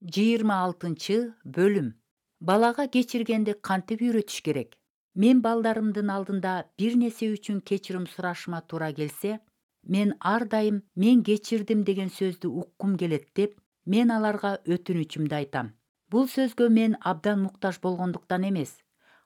26 бөлүм. Балага кечиргенди кантип үйрөтүш керек? Мен балдарымдын алдында бир нерсе үчүн кечирим сурашыма туура келсе, мен ар дайым "мен кечирдим" деген сөздү уккум келет деп, мен аларга өтүнүчүмдү айтам. Бул сөзгө мен абдан муктаж болгондуктан эмес,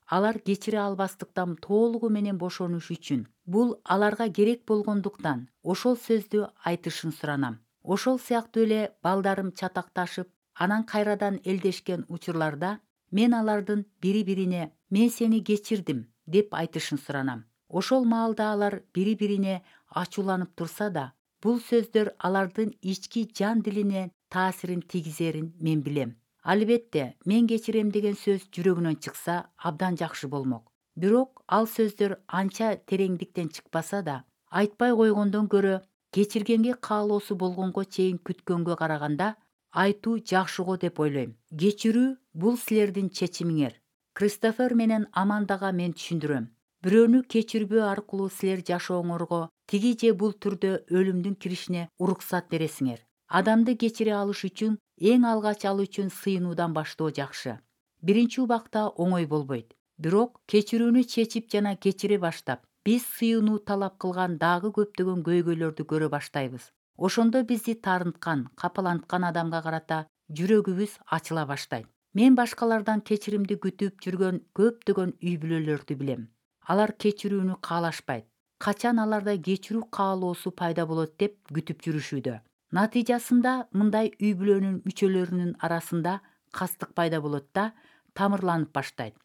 алар кечире албастыктан толугу менен бошонуш үчүн, бул аларга керек болгондуктан ошол сөздү айтышын суранам. Ошол сыяктуу эле балдарым чатакташып, анан кайрадан элдешкен учурларда мен алардын бири-бирине "мен сени кечирдим" деп айтышын суранам. Ошол маалда алар бири-бирине ачууланып турса да, бул сөздөр алардын ички жан дилине таасирин тийгизерин мен билем. Албетте, "мен кечирем" деген сөз жүрөгүнөн чыкса абдан жакшы болмок. Бирок ал сөздөр анча тереңдиктен чыкпаса да, айтпай койгондон көрө, кечиргенге каалоосу болгонго чейин күткөнгө караганда айтуу жакшы го деп ойлойм. Кечирүү бул силердин чечимиңер. Кристофер менен Амандага мен түшүндүрөм. Бирөөнү кечирбөө аркылуу силер жашооңорго тиги же бул түрдө өлүмдүн киришине уруксат бересиңер. Адамды кечире алыш үчүн эң алгач ал үчүн сыйынуудан баштоо жакшы. Биринчи убакта оңой болбойт. Бирок кечирүүнү чечип жана кечире баштап, биз сыйынуу талап кылган дагы көптөгөн көйгөйлөрдү көрө баштайбыз. Ошондо бизди таарынткан, капаланткан адамга карата жүрөгүбүз ачыла баштайт. Мен башкалардан кечиримди күтүп жүргөн көптөгөн үй бүлөлөрдү билем. Алар кечирүүнү каалашпайт. Качан аларда кечирүү каалоосу пайда болот деп күтүп жүрүшүүдө. Натыйжасында мындай үй бүлөнүн мүчөлөрүнүн арасында кастык пайда болот да, тамырланып баштайт.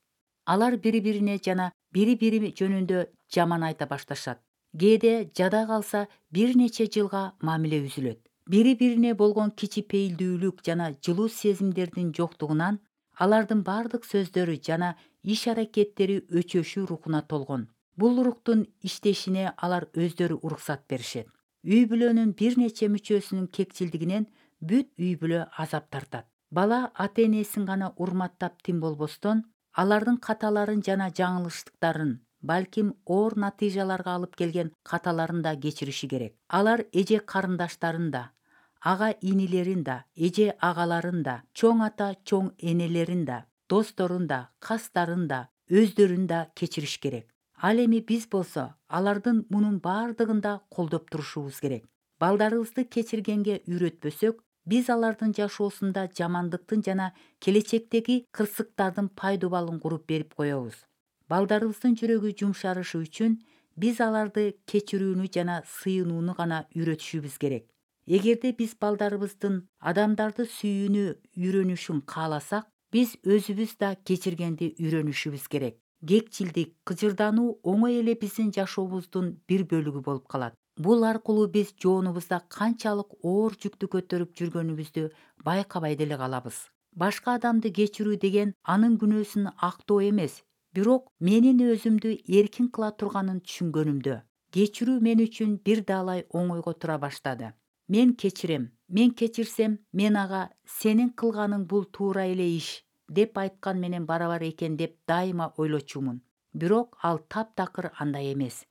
Алар бири-бирине жана бири-бири жөнүндө жаман айта башташат. Кээде жада калса бир нече жылга мамиле үзүлөт. Бири-бирине болгон кичипейилдүүлүк жана жылуу сезимдердин жоктугунан алардын бардык сөздөрү жана иш-аракеттери өчөшүү рухуна толгон. Бул руктун иштешине алар өздөрү уруксат беришет. Үй бүлөнүн бир нече мүчөсүнүн кекчилдигинен бүт үй бүлө азап тартат. Бала ата-энесин гана урматтап тим болбостон, алардын каталарын жана жаңылыштыктарын, балким оор натыйжаларга алып келген каталарын да кечириши керек. Алар эже карындаштарын да, ага инилерин да, эже агаларын да, чоң ата чоң энелерин да, досторун да, кастарын да, өздөрүн да кечириш керек. Ал эми биз болсо алардын мунун бардыгын да колдоп турушубуз керек. Балдарыбызды кечиргенге үйрөтпөсөк, биз алардын жашоосунда жамандыктын жана келечектеги кырсыктардын пайдубалын куруп берип коебуз. Балдарыбыздын жүрөгү жумшарышы үчүн биз аларды кечирүүнү жана сыйынууну гана үйрөтүшүбүз керек. Эгерде биз балдарыбыздын адамдарды сүйүүнү үйрөнүшүн кааласак, биз өзүбүз да кечиргенди үйрөнүшүбүз керек. Кекчилдик, кыжырдануу оңой эле биздин жашообуздун бир бөлүгү болуп калат. Бул аркылуу биз жоонубузда канчалык оор жүктү көтөрүп жүргөнүбүздү байкабай деле калабыз. Башка адамды кечирүү деген анын күнөөсүн актоо эмес, бирок менин өзүмдү эркин кыла турганын түшүнгөнүмдө. Кечирүү мен үчүн бир даалай оңойго тура баштады. Мен кечирем, мен кечирсем, мен ага "сенин кылганың бул туура эле иш" деп айткан менен барабар экен деп дайыма ойлочумун. Бирок ал таптакыр андай эмес.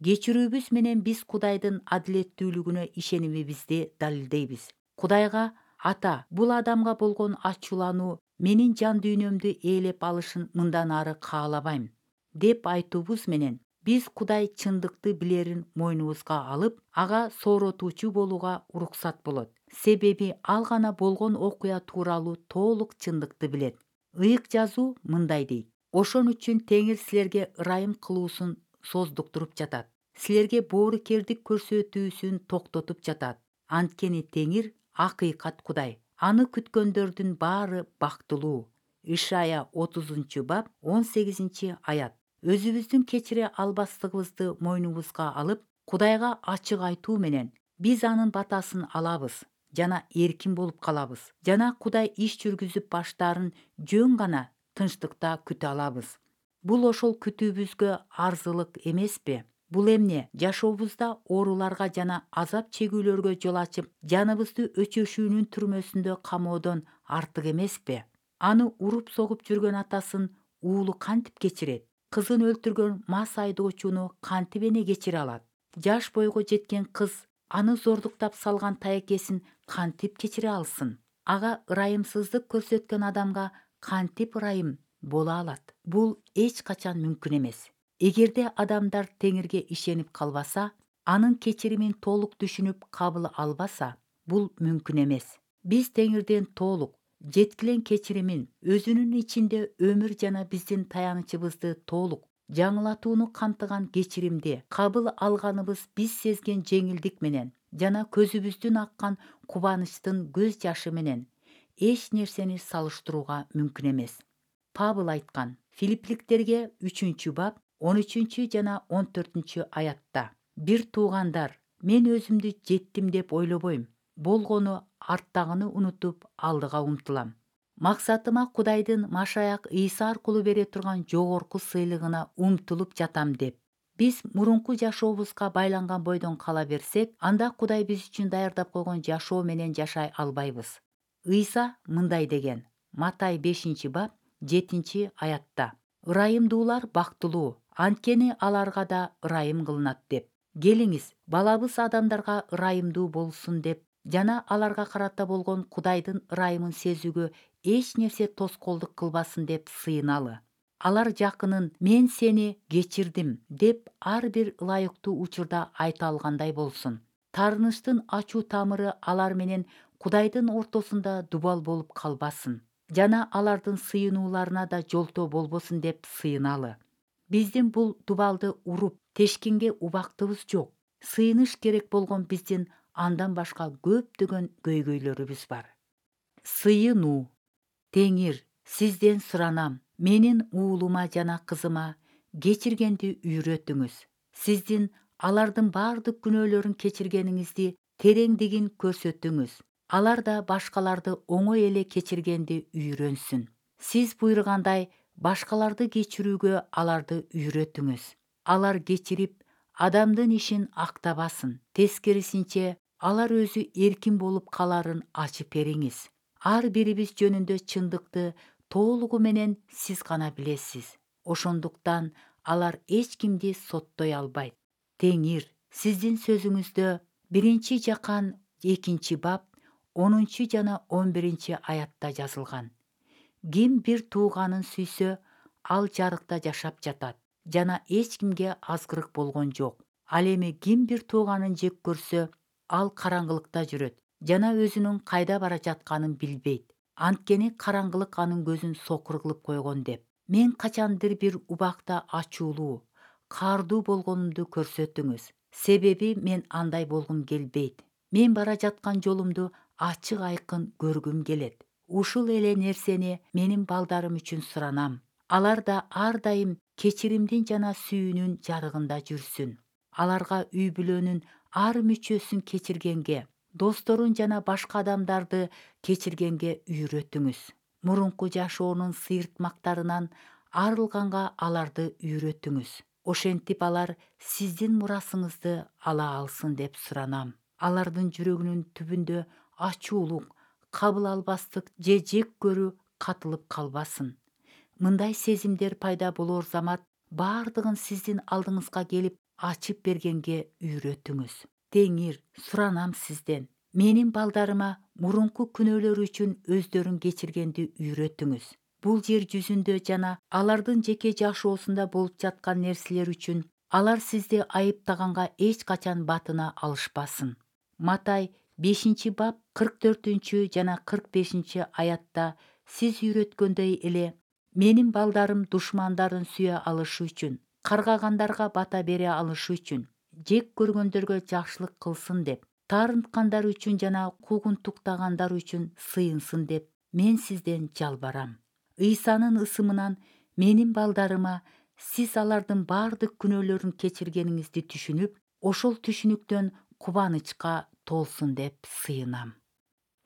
Кечирүүбүз менен биз Кудайдын адилеттүүлүгүнө ишенимибизди далилдейбиз. Кудайга "Ата, бул адамга болгон ачуулануу менин жан дүйнөмдү ээлеп алышын мындан ары каалабайм" деп айтуубуз менен биз Кудай чындыкты билерин мойнубузга алып, ага сооротуучу болууга уруксат болот. Себеби ал гана болгон окуя тууралуу толук чындыкты билет. Ыйык жазуу мындай дейт: "Ошон үчүн Теңир силерге ырайым кылуусун создуктуруп жатат. Силерге боорукердик көрсөтүүсүн токтотуп жатат. Анткени Теңир акыйкат Кудай. Аны күткөндөрдүн баары бактылуу." Ишая 30-бап 18-аят. Өзүбүздүн кечире албастыгыбызды мойнубузга алып, Кудайга ачык айтуу менен биз анын батасын алабыз жана эркин болуп калабыз. Жана Кудай иш жүргүзүп баштаарын жөн гана тынчтыкта күтө алабыз. Бул ошол күтүүбүзгө арзылык эмеспи? Бул эмне? Жашообузда ооруларга жана азап чегүүлөргө жол ачып, жаныбызды өчөшүүнүн түрмөсүндө камоодон артык эмеспи? Аны уруп согуп жүргөн атасын уулу кантип кечирет? Кызын өлтүргөн мас айдоочуну кантип эне кечире алат? Жаш бойго жеткен кыз аны зордуктап салган таекесин кантип кечире алсын? ага ырайымсыздык көрсөткөн адамга кантип ырайым боло алат? Бул эч качан мүмкүн эмес. Эгерде адамдар Теңирге ишенип калбаса, анын кечиримин толук түшүнүп кабыл албаса, бул мүмкүн эмес. Биз Теңирден толук, жеткилең кечиримин, өзүнүн ичинде өмүр жана биздин таянычыбызды толук жаңылатууну камтыган кечиримди кабыл алганыбыз биз сезген жеңилдик менен жана көзүбүздүн аккан кубанычтын көз жашы менен эч нерсени салыштырууга мүмкүн эмес. Павыл айткан Филиппликтерге 3-бап 13 жана 14 аятта: «Бир туугандар, мен өзүмдү жеттим деп ойлобойм. Болгону арттагыны унутуп, алдыга умтулам. Максатыма Кудайдын Машаяк Ийса аркылуу бере турган жогорку сыйлыгына умтулуп жатам» деп. Биз мурунку жашообузга байланган бойдон кала берсек, анда Кудай биз үчүн даярдап койгон жашоо менен жашай албайбыз. Ыйса мындай деген: Матай 5-бап 7 аятта: «Ырайымдуулар бактылуу, анткени аларга да ырайым кылынат» деп. Келиңиз, балабыз адамдарга ырайымдуу болсун деп жана аларга карата болгон Кудайдын ырайымын сезүүгө эч нерсе тоскоолдук кылбасын деп сыйыналы. Алар жакынын «мен сени кечирдим» деп ар бир ылайыктуу учурда айта алгандай болсун. Таарынычтын ачуу тамыры алар менен Кудайдын ортосунда дубал болуп калбасын жана алардын сыйынууларына да жолтоо болбосун деп сыйыналы. Биздин бул дубалды уруп тешкенге убактыбыз жок. Сыйыныш керек болгон биздин андан башка көптөгөн көйгөйлөрүбүз бар. Сыйынуу. Теңир, сизден суранам, менин уулума жана кызыма кечиргенди үйрөтүңүз. Сиздин алардын бардык күнөөлөрүн кечиргениңизди тереңдигин көрсөтүңүз. Алар да башкаларды оңой эле кечиргенди үйрөнсүн. Сиз буйругандай башкаларды кечирүүгө аларды үйрөтүңүз. Алар кечирип, адамдын ишин актабасын. Тескерисинче, алар өзү эркин болуп каларын ачып бериңиз. Ар бирибиз жөнүндө чындыкты толугу менен сиз гана билесиз. Ошондуктан алар эч кимди соттой албайт. Теңир, сиздин сөзүңүздө 1-Жакан 2-бап 10 жана 11 аятта жазылган: «Ким бир тууганын сүйсө, ал жарыкта жашап жатат жана эч кимге азгырык болгон жок. Ал эми ким бир тууганын жек көрсө, ал караңгылыкта жүрөт жана өзүнүн кайда бара жатканын билбейт. Анткени караңгылык анын көзүн сокур кылып койгон» деп. Мен качандыр бир убакта ачуулуу, каардуу болгонумду көрсөтүңүз. Себеби мен андай болгум келбейт. Мен бара жаткан жолумду ачык айкын көргүм келет. Ушул эле нерсени менин балдарым үчүн суранам. Алар да ар дайым кечиримдин жана сүйүүнүн жарыгында жүрсүн. Аларга үй бүлөнүн ар мүчөсүн кечиргенге, досторун жана башка адамдарды кечиргенге үйрөтүңүз. Мурунку жашоонун сыйыртмактарынан арылганга аларды үйрөтүңүз. Ошентип алар сиздин мурасыңызды ала алсын деп суранам. Алардын жүрөгүнүн түбүндө ачуулук, кабыл албастык же жек көрүү катылып калбасын. Мындай сезимдер пайда болор замат бардыгын сиздин алдыңызга келип ачып бергенге үйрөтүңүз. Теңир, суранам сизден, менин балдарыма мурунку күнөөлөрү үчүн өздөрүн кечиргенди үйрөтүңүз. Бул жер жүзүндө жана алардын жеке жашоосунда болуп жаткан нерселер үчүн алар сизди айыптаганга эч качан батына алышпасын. Матай 5-бап 44 жана 45 аятта сиз үйрөткөндөй эле менин балдарым душмандарын сүйө алышы үчүн, каргагандарга бата бере алышы үчүн, жек көргөндөргө жакшылык кылсын деп, таарынткандар үчүн жана куугунтуктагандар үчүн сыйынсын деп мен сизден жалбарам. Ыйсанын ысымынан менин балдарыма сиз алардын бардык күнөөлөрүн кечиргениңизди түшүнүп, ошол түшүнүктөн кубанычка толсун деп сыйынам.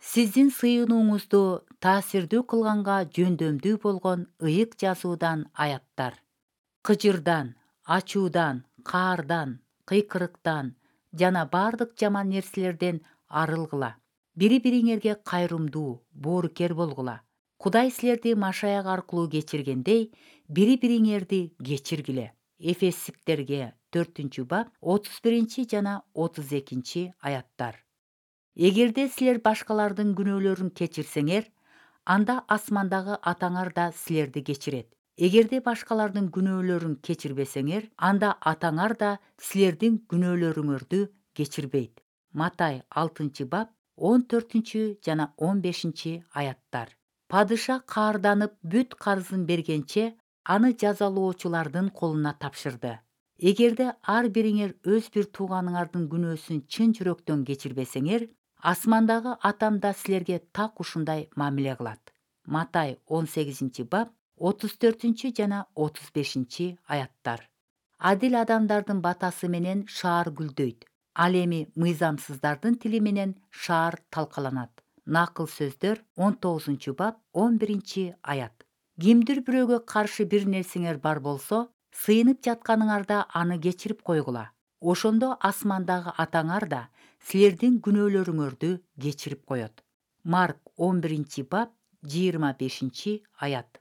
Сиздин сыйынууңузду таасирдүү кылганга жөндөмдүү болгон ыйык жазуудан аяттар. Кыжырдан, ачуудан, каардан, кыйкырыктан жана бардык жаман нерселерден арылгыла. Бири-бириңерге кайрымдуу, боорукер болгула. Кудай силерди Машаяк аркылуу кечиргендей, бири-бириңерди кечиргиле. Эфестиктерге 4-бап 31 жана 32 аяттар. Эгерде силер башкалардын күнөөлөрүн кечирсеңер, анда асмандагы атаңар да силерди кечирет. Эгерде башкалардын күнөөлөрүн кечирбесеңер, анда атаңар да силердин күнөөлөрүңөрдү кечирбейт. Матай 6-бап 14 жана 15 аяттар. Падыша каарданып бүт карызын бергенче аны жазалоочулардын колуна тапшырды. Эгерде ар бириңер өз бир тууганыңардын күнөөсүн чын жүрөктөн кечирбесеңер, асмандагы атам да силерге так ушундай мамиле кылат. Матай 18-бап 34 жана 35 аяттар. Адил адамдардын батасы менен шаар гүлдөйт. Ал эми мыйзамсыздардын тили менен шаар талкаланат. Накыл сөздөр 19-бап 11 аят. Кимдир бирөөгө каршы бир нерсеңер бар болсо, сыйынып жатканыңарда аны кечирип койгула. Ошондо асмандагы атаңар да силердин күнөөлөрүңөрдү кечирип коет. Марк 11-бап 25 аят.